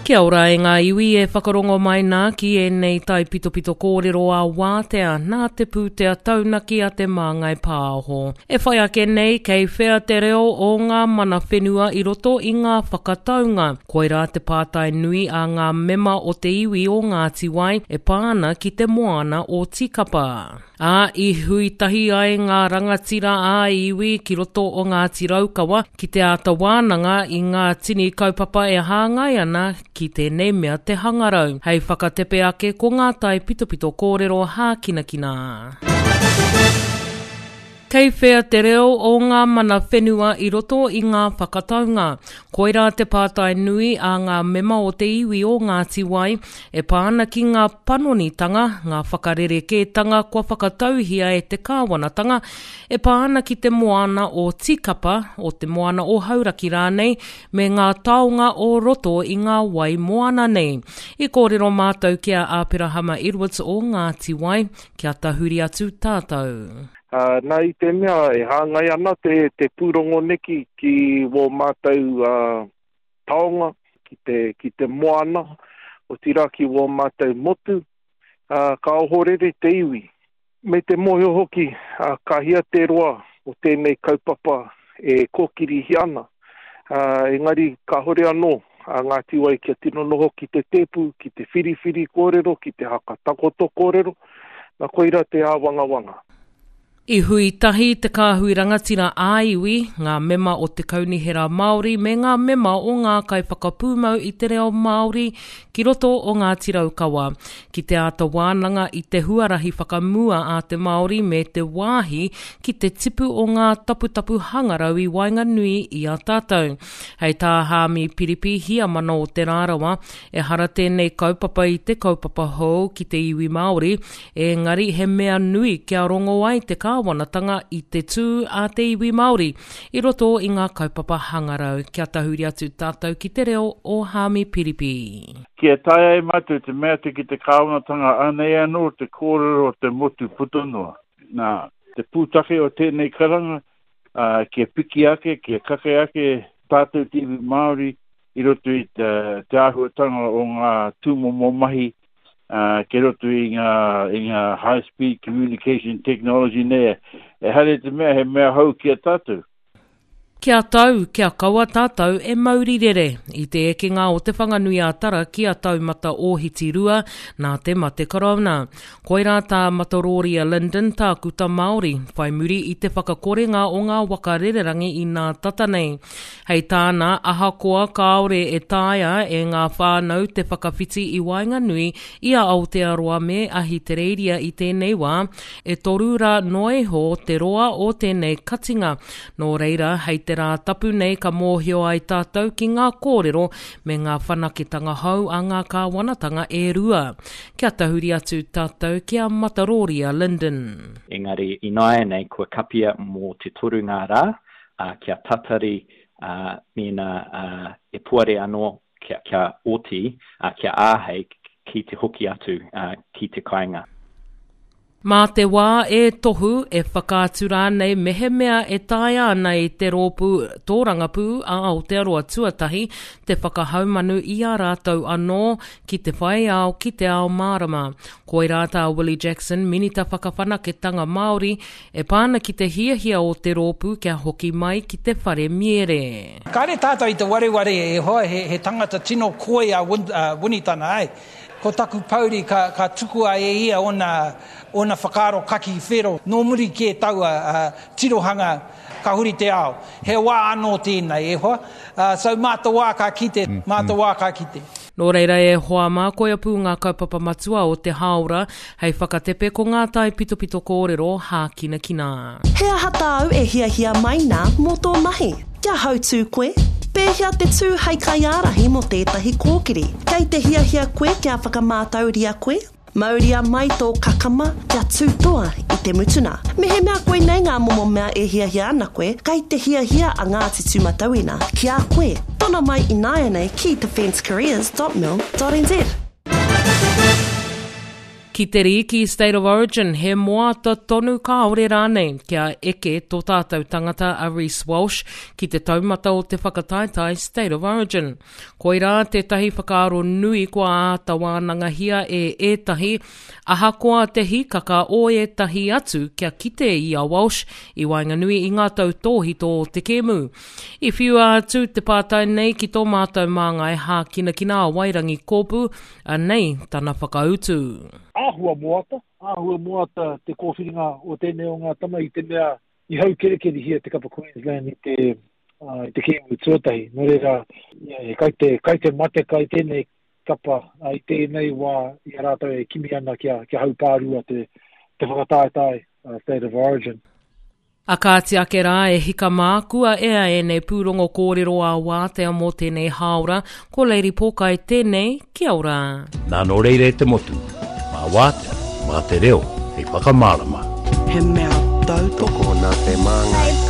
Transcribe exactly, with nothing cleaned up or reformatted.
Kia ora e ngā iwi e whakarongo mai nā ki ēnei taipitopito kōrero a wātea nā te pūtea taunaki a Te Māngai Pāho. E whai ake nei kei whea te reo o ngā mana whenua i roto i ngā whakataunga. Koirā te pātai nui a ngā mema o te iwi o Ngāti Wai e pā ana ki te moana o Tīkapa. Ā, i hui tahi ai ngā rangatira ā-iwi ki roto o Ngāti Raukawa ki te āta wānanga i ngā tini kaupapa e hāngai ana ki tēnei mea te hangarau. Hei whakatepe ake ko ngā taipitopito kōrero hākinakina. Kei whea te reo o ngā mana whenua i roto i ngā whakataunga. Koirā te pātai nui a ngā mema o te iwi o Ngāti Wai e pā ana ki ngā panonitanga, ngā whakarerekētanga kua whakatauhia e te kāwanatanga e pā ana ki te moana o Tīkapa, o te moana o Hauraki rānei, me ngā taonga o roto i ngā wai moana nei. I kōrero mātou ki a Aperahama Edwards o Ngāti Wai, kia tahuri atu tātou. Uh, nā i te mea e hāngai ana te, te pūrongo neki ki wō mātou uh, taonga, ki te, ki te moana, otirā ki wō mātou motu, uh, ka ohorere te iwi. Me te mōhio hoki, uh, ka hia te roa o tēnei kaupapa e kōkirihia ana. Uh, engari kāhore anō a Ngāti Wai kia tino noho ki te tēpu, ki te whiriwhiri kōrero, ki te hakatakoto kōrero, nā koira te āwangawanga. I hui tahi te kāhui rangatira ā-iwi, ngā mema o te Kaunihera Māori me ngā mema o ngā kaiwhakapūmau i te reo Māori ki roto o Ngāti Raukawa, ki te āta wānanga i te huarahi whakamua a te Māori me te wāhi ki te tipu o ngā taputapu hangarau i waenganui i a tātou. Hei tā Hāmi Piripi Hiamana o Te Rarawa, ehara tēnei kaupapa i te kaupapa hou ki te iwi Māori, engari he mea nui kia rongo ai te kāwanatanga i te tū a te iwi Māori i roto i ngā kaupapa hangarau. Kia tahuri atu tātou ki te reo o Hāmi Piripi. Kia taea e mātou te mea atu ki te kāwanatanga anei anō te kōrero o te motu puta noa. Nā, te pūtake o tēnei karanga, uh, kia piki ake, kia kake ake tātou te iwi Māori i roto i te, te āhuatanga o ngā tūmomo mahi uh, ki roto i ngā, i ngā high speed communication technology nei. Ehara i te mea he mea hou ki a tātou. Kia tau, kia kaua tātou e mauri rere i te ekenga o Te Whanganui-a-Tara ki a Taumata Ōhiti Rua nā te mate korona. Koirā tā Mataroria Lyndon tākuta Māori, whai muri i te whakakorenga o ngā waka rererangi i nā tata nei. Hei tāna, ahakoa kāore e taea e ngā whānau te whakawhiti i waenganui i a Aotearoa me Ahitereiria i tēnei wā, e toru rā noa iho te roa o tēnei katinga. Nō reira, hei te rā tapu nei ka mōhio ai tātou ki ngā kōrero me ngā whanaketanga hou a ngā kāwanatanga e rua. Kia tahuri atu tātou ki a Mataroria Lyndon. Engari ināianei kua kapia mō te toru ngā rā, uh, kia tatari uh, mēnā uh, e puare anō kia, kia oti, uh, kia āhei ki te hoki atu uh, ki te kāinga. Mā te wā e tohu, e whakaatu rānei mehemea e taea ana e te rōpū tōrangapū a Aotearoa Tuatahi te whakahaumanu i a rātou anō ki te whai ao ki te ao mārama. Koirā tā Willie Jackson, Minita Whakawhanaketanga Māori, e pā ana ki te hiahia o te rōpū kia hoki mai ki te whare miere. Kāre tātou i te wareware e hoa, he, he tangata tino koi a Win, uh, Winitana, ai. Ko taku pouri ka, ka tukua e ia ona, ona whakaaro kaki whero. Nō muri kē taua uh, tirohanga ka huri te ao. He wā anō tēnei e hoa. Uh, so mā te wā ka kite, mā te wā ka kite. Nō reira e hoa mā, koia pū ngā kaupapa matua o te hāora hei whakatepe ko ngā taipitopito kōrero hākinakina. He aha tāu e hiahia mai nā mō tō mahi? Kia hautū koe? Pēhea te tū hei kaiārahi mō tētahi kōkiri? Kei te hiahia koe kia whakamātauria koe? Mauria mai tō kakama kia tū toa i te mutuna. Mehemea koinei ngā momo mea e hiahia ana koe, kei te hiahia a Ngāti Tūmatauenga ki a koe. Tono mai ināianei ki defencecareers dot mil dot n z. Ki te rīki State of Origin, he moata tonu kāore rānei kia eke tō tātou tangata a Reece Walsh ki te taumata o te whakataetae State of Origin. Koirā tētahi whakaaro nui kua āta wānangahia e ētahi, ahakoa te hīkaka o ētahi atu kia kite i a Walsh i waenganui i ngā tautōhito o te kēmu. I whiua atu te pātai nei ki tō mātou māngai hākinakina a Wairangi Kōpū, anei tana whakautu. Āhua moata, āhua moata te kōwhiringa o tēnei o ngā tama i te mea i haukerekerehia te kapa Queensland i te, uh, i te kēmu tuatahi. Nō reira, yeah, kai te, kai te matekai tēnei kapa uh, i tēnei wā i a rātou e kimi ana kia, kia haupārua te, te whakataetae uh, State of Origin. A kāti ake rā e hika mā, kua ea ēnei pūrongo kōrero ā wātea mō tēnei hāora, ko Lady Pōkai tēnei, kia ora. Nā nō reira e te motu, mā wātea, mā te reo, hei whakamārama. He mea tautoko nā Te Māngai.